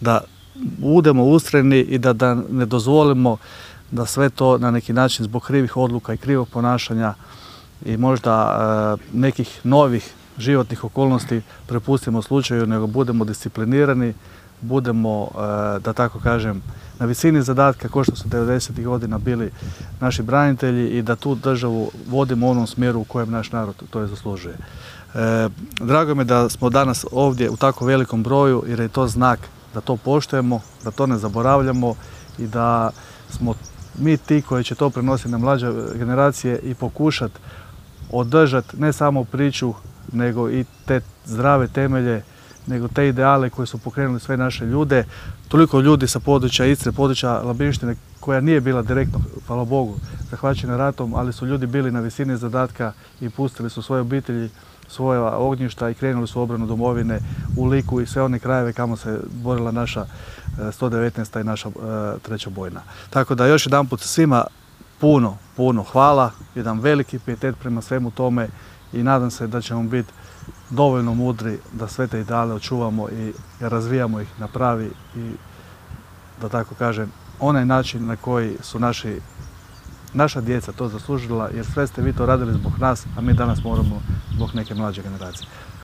da budemo ustrajni i da ne dozvolimo da sve to na neki način zbog krivih odluka i krivog ponašanja i možda nekih novih životnih okolnosti prepustimo slučaju, nego budemo disciplinirani, budemo, da tako kažem, na visini zadatka kao što su 90. godina bili naši branitelji i da tu državu vodimo u onom smjeru u kojem naš narod to je zaslužuje. Drago mi je da smo danas ovdje u tako velikom broju jer je to znak da to poštujemo, da to ne zaboravljamo i da smo mi ti koji će to prenositi na mlađe generacije i pokušati održati ne samo priču nego i te zdrave temelje, nego te ideale koje su pokrenuli sve naše ljude. Toliko ljudi sa područja Istre, područja Labinštine koja nije bila direktno, hvala Bogu, zahvaćena ratom, ali su ljudi bili na visini zadatka i pustili su svoje obitelji, svoja ognjišta i krenuli su u obranu domovine u Liku i sve one krajeve kamo se borila naša 119. i naša 3. bojna. Tako da još jedanput svima puno hvala, jedan veliki pijetet prema svemu tome i nadam se da ćemo biti dovoljno mudri da sve te ideale očuvamo i razvijamo ih na pravi i, da tako kažem, onaj način na koji su naša djeca to zaslužila, jer sve ste vi to radili zbog nas, a mi danas moramo zbog neke mlađe generacije.